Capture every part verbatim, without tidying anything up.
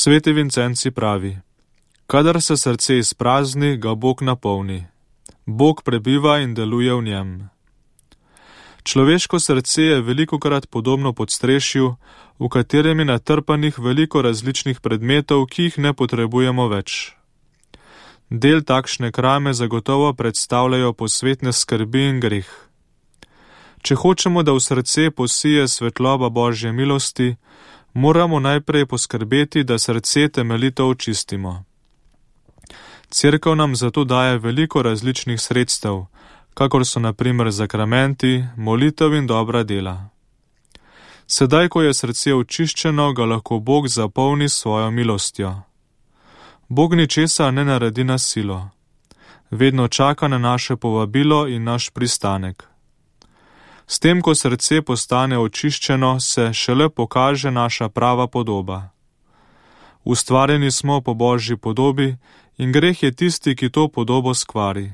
Sveti Vincenci pravi: kadar se srce izprazni, ga Bog napolni. Bog prebiva in deluje v njem. Človeško srce je velikokrat podobno podstrešju, v katerem je natrpanih veliko različnih predmetov, ki jih ne potrebujemo več. Del takšne krame zagotovo predstavljajo posvetne skrbi in greh. Če hočemo, da v srce posije svetloba Božje milosti, moramo najprej poskrbeti, da srce temeljito očistimo. Cerkev nam zato daje veliko različnih sredstev, kakor so na primer zakramenti, molitev in dobra dela. Sedaj, ko je srce očiščeno, ga lahko Bog zapolni s svojo milostjo. Bog ničesa ne naredi na silo. Vedno čaka na naše povabilo in naš pristanek. S tem, ko srce postane očiščeno, se šele pokaže naša prava podoba. Ustvarjeni smo po Božji podobi in greh je tisti, ki to podobo skvari.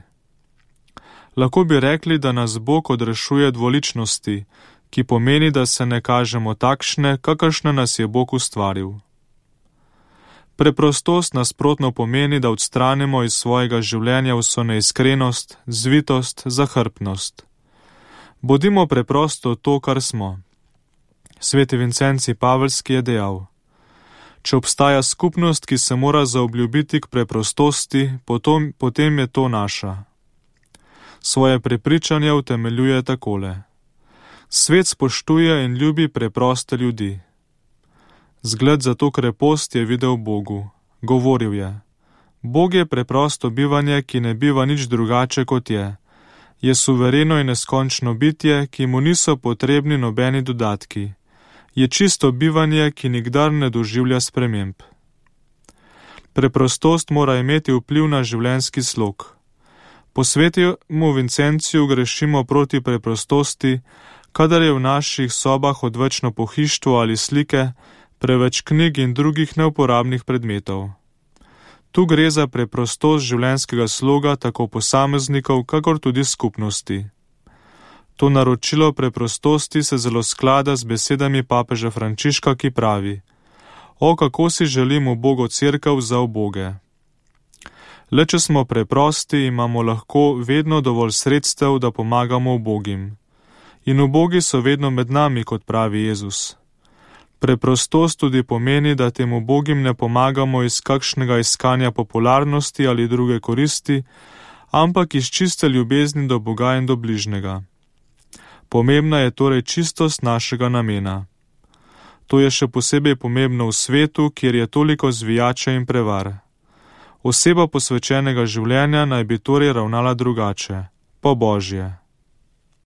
Lahko bi rekli, da nas Bog odrešuje dvoličnosti, ki pomeni, da se ne kažemo takšne, kakršne nas je Bog ustvaril. Preprostost nasprotno pomeni, da odstranimo iz svojega življenja vso neiskrenost, zvitost, zahrbtnost. Bodimo preprosto to, kar smo. Sveti Vincenci Paveljski je dejal: če obstaja skupnost, ki se mora zaobljubiti k preprostosti, potom, potem je to naša. Svoje prepričanje utemeljuje takole: svet spoštuje in ljubi preproste ljudi. Zgled za to krepost je videl Bogu. Govoril je: Bog je preprosto bivanje, ki ne biva nič drugače kot je. Je suvereno in neskončno bitje, ki mu niso potrebni nobeni dodatki. Je čisto bivanje, ki nikdar ne doživlja sprememb. Preprostost mora imeti vpliv na življenjski slog. Po svetemu Vincenciju grešimo proti preprostosti, kadar je v naših sobah odvečno pohištvo ali slike, preveč knjig in drugih neuporabnih predmetov. Tu gre za preprostost življenjskega sloga tako posameznikov, kakor tudi skupnosti. To naročilo preprostosti se zelo sklada z besedami papeža Frančiška, ki pravi: O, kako si želim ubogo cerkev za uboge. Le če smo preprosti, imamo lahko vedno dovolj sredstev, da pomagamo ubogim. In ubogi so vedno med nami, kot pravi Jezus. Preprostost tudi pomeni, da tem ubogim ne pomagamo iz kakšnega iskanja popularnosti ali druge koristi, ampak iz čiste ljubezni do Boga in do bližnjega. Pomembna je torej čistost našega namena. To je še posebej pomembno v svetu, kjer je toliko zvijača in prevar. Oseba posvečenega življenja naj bi torej ravnala drugače, po Božje.